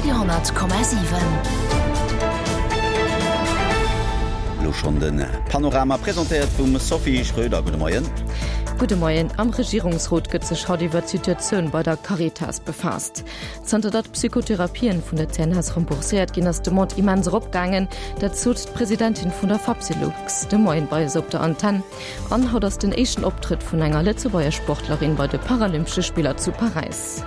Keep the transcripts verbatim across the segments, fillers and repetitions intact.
Radio honnert Komma siwen. Elo schonn de Panorama, presentéiert vum Sophie Schröder. Gudde Moien. Gudde Moien. Am Regierungsrot gëtt sech haut iwwer d'Situatioun bei der Caritas befaasst. Zanter datt Psychotherapien vun der C N S rembourséiert ginn, ass d'Demande immens eropgaangen. Dat sot d'Presidentin vun der Fapsylux de Moien bei eis op der Antenn. An haut ass den éischten Optrëtt vun enger Lëtzebuerger Sportlerin bei de Paralympesche Spiller zu Paräis.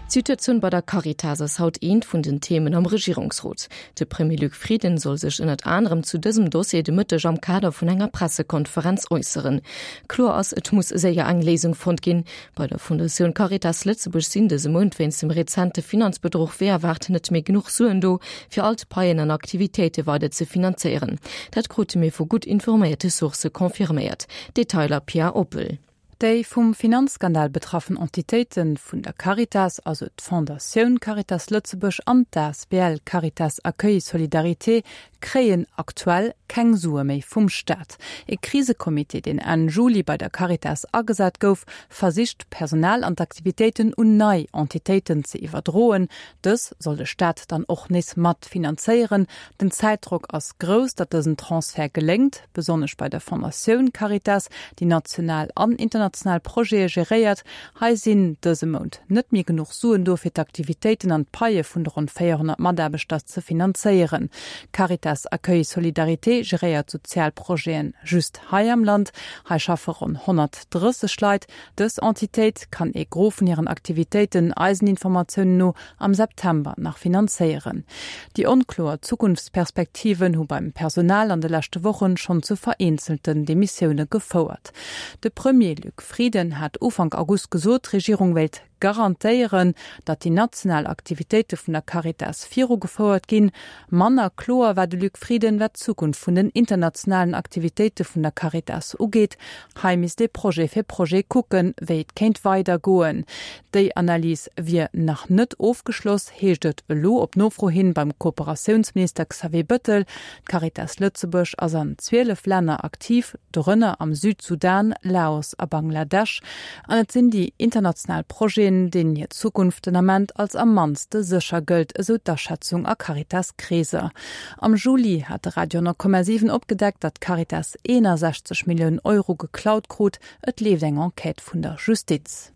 D'Situatioun bei der Caritas ass haut eent vun den Themen am Regierungsrot. De Premier Luc Frieden soll sech ënnert anerem zu dësem Dossier de Mëtteg am Kader vun enger Pressekonferenz äusseren. Kloer ass, et muss séier eng Léisung fonnt ginn. Bei der Fondatioun Caritas Lëtzebuerg sinn dëse Mount wéinst dem rezente Finanzbedruch wéi erwaart net méi genuch Suen do, fir all d'Paien an Aktivitéite weider ze finanzéieren. Dat krute mir vu gutt informéierte Sourcë confirméiert. Detailer Pia Oppel. Déi vum Finanzskandal betraffen Entitéite vun der Caritas, also d'Fondatioun Caritas Lëtzebuerg an d'A S B L Caritas Accueil Solidarité, kréien aktuell keng Sue méi vum Staat. E Krisecomité, deen Enn Juli bei der Caritas agesat gouf, versicht d'Personal an d'Aktivitéiten un nei Entitéiten ze iwwerdroen. Dës soll de Staat dann och nees mat finanzéieren. Den Zäitdrock ass grouss, datt dësen Transfert geléngt, besonnesch bei der Fondatioun Caritas, déi national an international Projete geréiert. Hei sinn dëse Mount net méi genuch Suen do fir d'Aktivitéiten an d'Paie vun de ronn véierhonnert Mataarbechter ze finanzéieren. Caritas Accueil Solidarité geréiert Sozialprojeten just hei am Land. Hei schaffe ronn honnertdrësseg Leit. Dës Entitéit kann e Gros vun hiren Aktivitéiten eisen Informatiounen no am September nach finanzéieren. Déi onkloer Zukunftsperspektiven hu beim Personal an de leschte Wochen schonn zu vereenzelten Demissioune gefouert. De Premier Luc Frieden hat Ufank August gesot, d'Regierung wéilt garantéieren, datt déi national Aktivitéite vun der Caritas virugefouert ginn. Manner kloer war de Luc Frieden, wat d'Zukunft vun den internationalen Aktivitéite vun der Caritas ugeet. Hei misst ee Projet fir Projet kucken, wéi et kéint weidergoen. Déi Analys wier nach net ofgeschloss, heescht et elo op Nofro hin beim Kooperatiounsminister Xavier Bettel. D'Caritas Lëtzebuerg ass an zwielef Länner aktiv, dorënner am Südsudan, Laos a Bangladesch. An et sinn déi international Projeten, deenen hir Zukunft den Ament als am mannste sécher gëllt, esou d'Aschätzung a Caritas-Kreeser. Am Juli hat de Radio honnert Komma siwen opgedeckt, datt d'Caritas eenasechzeg Milliounen Euro geklaut krut. Et leeft eng Enquête vun der Justiz.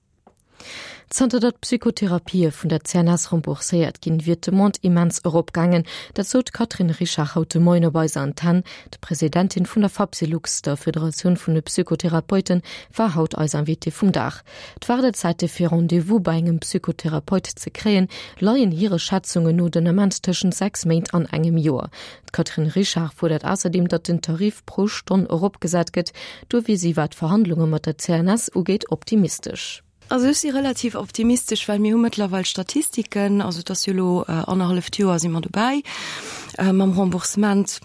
Zanter datt Psychotherapië vun der C N S rembourséiert ginn, wier d'Demande immens eropgaangen. Dat sot d'Catherine Richard haut de Moien op eiser Antenn. D'Presidentin vun der Fapsylux, der Federatioun vun de Psychotherapeuten, war haut eis Invitée vum Dag. D'Waardezäite fir Rendez-vous bei engem Psychotherapeut ze kréien, leien hire Schätzungen no den Ament tëschent sechs Méint an engem Joer. D'Catherine Richard fuerdert ausserdeem, datt den Tarif pro Stonn eropgesat gëtt. Do wier si, wat d'Verhandlunge mat der C N S ugeet, optimistesch. Also ech si relativ optimistesch, well mir hu mëttlerweil Statistiken, also dat ass jo elo äh, annerhalleft Joer si mer dobäi äh, mam Remboursement.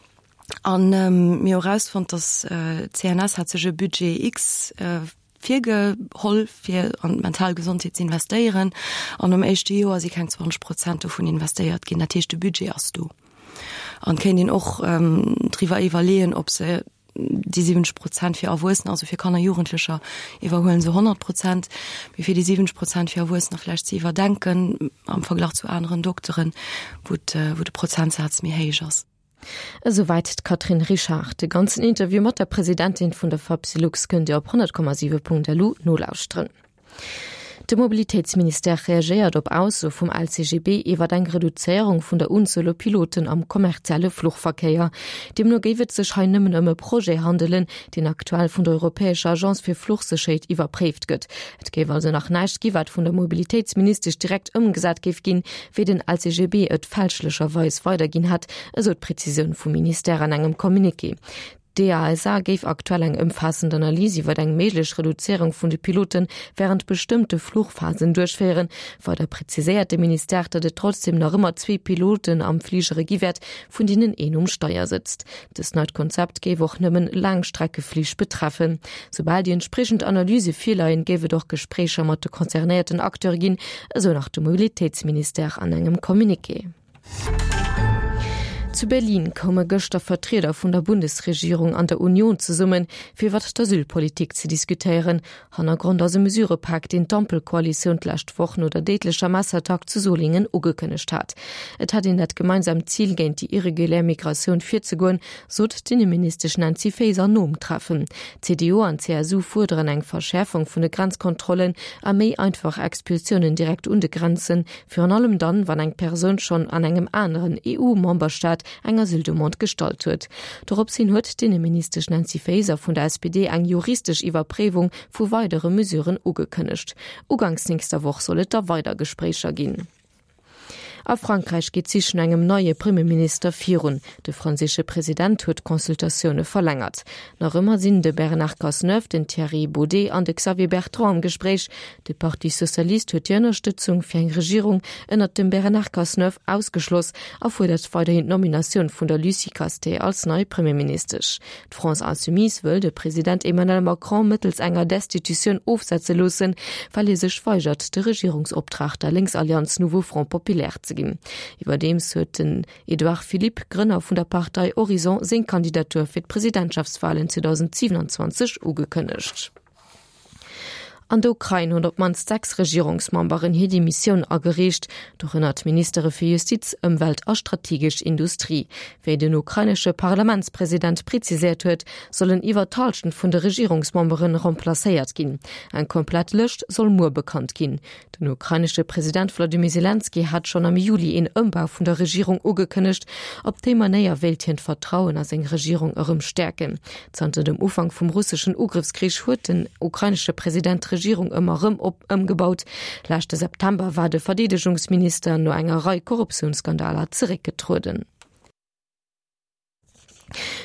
An ähm, mir hu erausfonnt, dass äh, C N S hat sech e Budget X äh, virgeholl fir an d'mental Gesondheet ze investéieren an am éischte Joer si keng zwanzeg Prozent dovun investéiert ginn. Dat heescht de Budget ass do. An kéint een och ähm, driwwer iwwerleeën, ob se déi siwwenzeg Prozent fir Erwuessener, also fir Kanner Jugendlecher iwwerhuelen se honnert Prozent, mee fir déi siwwenzeg Prozent fir Erwuessener vläicht ze iwwerdenken am Verglach zu aneren Dokteren, wou wou de Prozentsaz méi héich ass. Esouwäit d'Catherine Richard. De ganzen Interview mat der Presidentin vun der Fapsylux kënnt Dir op honnert Komma siwe Punkt L U nolauschteren. De Mobilitéitsministère reagéiert op Aussoe vum L C G B iwwer eng Reduzéierung vun der Unzuel u Piloten am kommerzielle Fluchverkéier. Deemno géif et sech hei nëmmen ëm e Projet handelen, deen aktuell vun der Europäescher Agence fir Fluchsécherheet iwwerpréift gëtt. Et géif also nach näischt gi wat vun der Mobilitéitsministesch direkt ëmgesat géif ginn, wéi den L C G B et fälschlecherweis weiderginn hat, esou d'Prezisioun vum Ministère an engem Communiqué. D'E A S A géif aktuell eng ëmfaassend Analys iwwer eng méiglech Reduzéierung vun de Pilote wärend bestëmmte Fluchphasen duerchféieren. Weider präziséiert de Ministère, datt et trotzdeem nach ëmmer zwee Piloten am Fligere gi wäert, vun deenen een um Steier sëtzt. Dëst neit Konzept géif och nëmmen Laangstreckeflich betreffen. Soubal déi entspriechend Analyse virleien, géif et och Gespréicher mat de concernéierten Acteure ginn, esou nach de Mobilitéitsministère an engem Communiqué. Zu Berlin koume gëschter Vertrieder vun der Bundesregierung an der Union zesummen, fir iwwer d'Asylpolitik ze diskutéieren. Hannergrond ass e Mesurëpak, deen d'Ampelkoalitioun d'lescht Woch no der déidlecher Messerattack zu Solingen ugekënnegt hat. Et hätt een dat gemeinsaamt Zil, géint déi irregulär Migratioun virzegoen, sot d'Inneministesch Nancy Faeser nom Treffen. CDU an CSU fuerderen eng Verschäerfung vun de Grenzkontrollen a méi einfach Expulsiounen direkt un de Grenzen, virun allem dann, wann eng Persoun schonn an engem aneren EU-Memberstaat eng Asyldemande gestallt huet. Dorops hin huet d'Inneministesch Nancy Faeser vun der S P D eng juristesch Iwwerpréiwung vu weidere Mesuren ugekënnegt. Uganks nächster Woch soll et da weider Gespréicher ginn. A Frankräich geet d'Sich no engem neie Premierminister virun. De franséische President huet d'Consultatioune verlängert. Nach ëmmer sinn de Bernard Cazeneuve, den Thierry Baudet an de Xavier Bertrand am Gespréich. De Parti Socialiste huet déi Ënnerstëtzung fir eng Regierung ënnert dem Bernard Cazeneuve ausgeschloss a fuerdert weiderhin d'Nominatioun vun der Lucie Castets als nei Premierministesch. D'France Insoumise wëll de President Emmanuel Macron mëttels enger Destitutioun ofsetze loossen, well hie sech weigert, de Regierungsoptrag der Lénksallianz Nouveau Front Populaire ze ginn. Iwwerdeems huet den Edouard Philippe, Grënner vun der Partei Horizon, seng Kandidatur fir d'Presidentschaftswalen zweedausendsiwenanzwanzeg ugekënnegt. An der Ukrain hunn op d'mannst sechs Regierungsmemberen hir Demissioun agereecht, dorënner d'Ministere fir Justiz, Ëmwelt a strategesch Industrie. Wéi den ukrainesche Parlamentspresident preziséiert huet, sollen iwwer d'Hallschent vun de Regierungsmembere remplacéiert ginn. Eng komplett Lëscht soll muer bekannt ginn. Den ukrainesche President Wladimir Selenskyj hat schonn am Juli een Ëmbau vun der Regierung ugekënnegt. Op déi Manéier wéilt hien d'Vertrauen a seng Regierung erëm stäerken. Zanter dem Ufank vum russeschen Ugrëffskrich huet den ukrainesche President d'Regierung ëmmer erëm op ëmgebaut. Leschte September war de Verdeedegungsminister no enger Rei Korruptiounsskandaler zeréckgetrueden.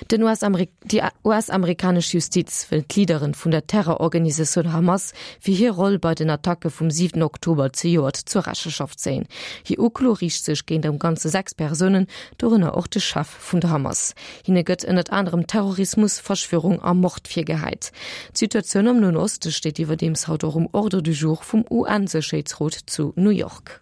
Den U S-Amerik déi U S-amerikanesch Justiz wëll d'Leaderen vun der Terrororganisatioun Hamas fir hir Roll bei den Attacke vum siwenten Oktober zejoert zur Rechenschaft zéien. Hir Uklo riicht sech géint am Ganze sechs Persounen, dorënner och de Chef vun der Hamas. Hinne gëtt ënnert anerem Terrorismus, Verschwörung a Mord virgehäit. D'Situatioun am Noen Oste steet iwwerdeems haut och um Ordre du jour vum U N-Sécherheetsrot zu New York.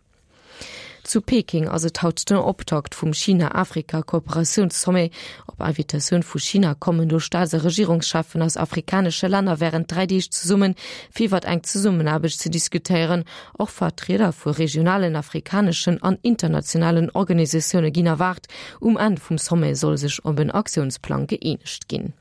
Zu Peking ass et haut den Optakt vum China-Afrika-Kooperatiounssommet. Op Invitatioun vu China kommen do Staats a Regierungscheffen aus afrikanesche Länner wärend dräi Deeg zesummen, fir iwwer eng Zesummenaarbecht ze diskutéieren. Och Vertrieder vu regionalen, afrikaneschen an internationalen Organisatioune ginn erwaart. Um Enn vum Sommet soll sech op en Aktiounsplang gëeenegt ginn.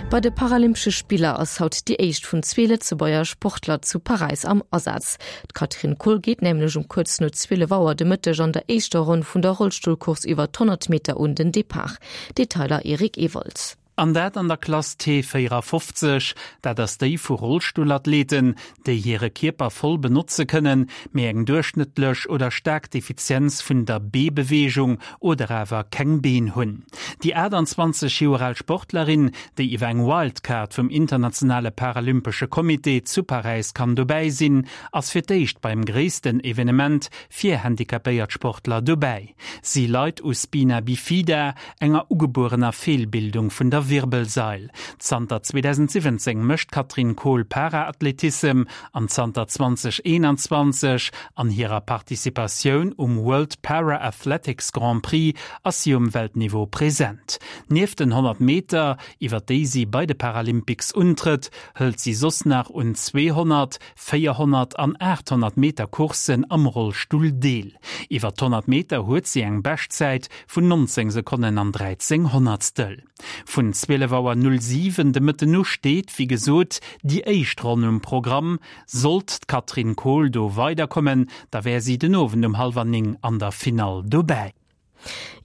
Bei de Paralympesche Spiller ass haut déi éischt vun zwee Lëtzebuerger Sportler zu Paräis am Asaz. D'Katrin Kohl geet nämlech um kuerz no zwielef Auer de Mëtteg an der éischter Ronn vun der Rollstullcourse iwwer d'honnert Meter un den Depart. Detailer Eric Ewald. An dat an der Klass T véierafofzeg, dat ass déi vu Rollstullathleten, déi hire Kierper voll benotze kënnen, mee eng duerchschnëttlech oder staark Defizienz vun der Beebeweegung oder awer keng Been hunn. Déi aachtanzwanzeg Joer al Sportlerin, déi iwwer eng Wildcard vum internationale Paralympesche Comité zu Paräis kann dobäi sinn, ass fir d'éischt beim gréissten Evenement fir handicapéiert Sportler dobäi. Si leit u Spina bifida, enger ugebuerener Feelbildung vun der Wirbelsail. Zanter zweedausendsiwwenzéng mécht d'Katrin Kohl Para-Athletissem an zanter zweedausendeenanzwanzeg an hirer Participatioun um World Para Athletics Grand Prix ass si um Weltniveau present. Nieft den honnert Meter, iwwer déi si bei de Paralympics untrëtt, hëlt si soss nach un zweehonnert, véierhonnert an aathonnert Meter Courssen am Rollstull deel. Iwwer d'honnert Meter huet si eng Beschtzäit vun nonzéng Sekonnen an dräizéng Honnertstel. Vun zwielef Auer null siwen de Mëtten u steet, wéi gesot, déi éischt Ronn um Programm. Sollt d'Katrin Kohl do weiderkommen, da wär si den Owend um hallwer néng an der Finall dobäi.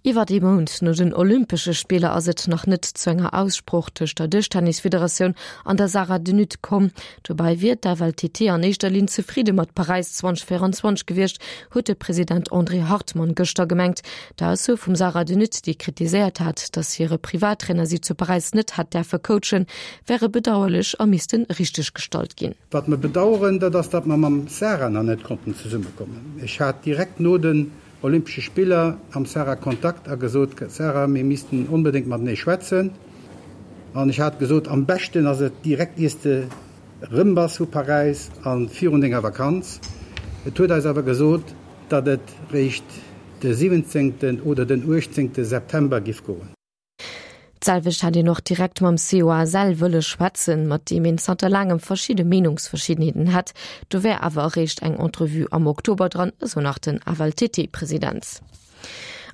Iwwer ee Mount no den Olympesche Spiller ass et nach net zu enger Aussprooch tëscht der Dëschtennisfederatioun an der Sarah de Nutte komm. Dobäi wier d'F L T T an éischter Linn zefridde mat Paräis zweedausendvéierenzwanzeg gewiescht, huet de President André Hartmann gëschter gemengt. D'Ausso vum Sarah de Nutte, déi kritiséiert hat, datt hire Privattrainer si zu Paräis net hätt däerfe coachen, wäre bedauerlech a misste richteggestallt ginn. Wat mer bedauern, dat ass, datt mer mam Sarah nach net konnten zesummekommen. Ech hat direkt no den Olympesche Spiller mam Sarah Kontakt a gesot, Sarah, mir missten onbedéngt matenee schwätzen. An ech hat gesot, am beschten ass et direkt iers de rëm bass vu Paräis a virun denger Vakanz. Et huet eis awer gesot, datt et réischt de siwwenzéngten oder den uechtzéngte September giff goen. D'selwecht hätt een och direkt mam COSL wëlle schwätzen, mat deem een zanter laangem verschidde Meenungsverschiddenheeten hätt. Do wär awer eréischt eng Entrevue am Oktober dran, esou nach den FLTT-President.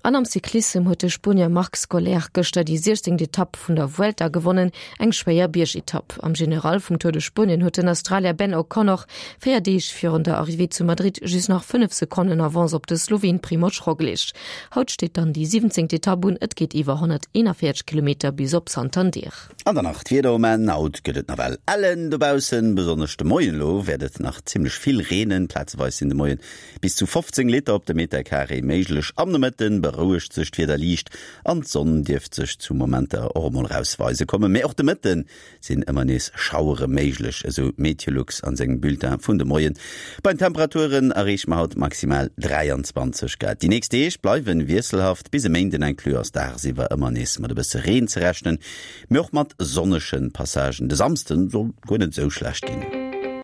An am Cyclissem huet de Spuenier Marc Soler gëschter déi siechzéngt Etapp vun der Vuelta gewonnen, eng schwéier Biergetapp. Am General vum Tour de Spuenien huet den Australier Ben O'Connor véier Deeg virun der Arrivée zu Madrid just nach fënnef Sekonnen Avance op de Sloween Primoz Roglic. Haut steet dann déi siwwenzéngt Etapp un, et geet iwwer honnerteenanvéierzeg Kilometer bis op Santander. An dann nach d'Wieder um Enn, Haut gëtt et nawell ellen dobaussen, besonnesch de Moien elo wäert et nach zimmlech vill reenen, plazeweis sinn de Moien bis zu fofzéng Liter op de Meterkaree méiglech. Am Nomëtte berouegt sech d'Wieder liicht an d'Sonn dierft sech zu Momenter och emol erausweise kommen. Mee och de Mëtte sinn ëmmer nees Schauere méiglech, esou Meteolux an sengem Bulletin vun de Moien. Bei den Temperaturen erreeche mer haut maximal dräianzwanzeg Grad. Déi nächst Deeg bleiwe wiesselhaft, bis e Méinden inclus ass dagsiwwer ëmmer nees mat e bësse Reen ze rechnen, mee och mat sonnege Passagen. De Samsden soll guer net esou schlecht ginn.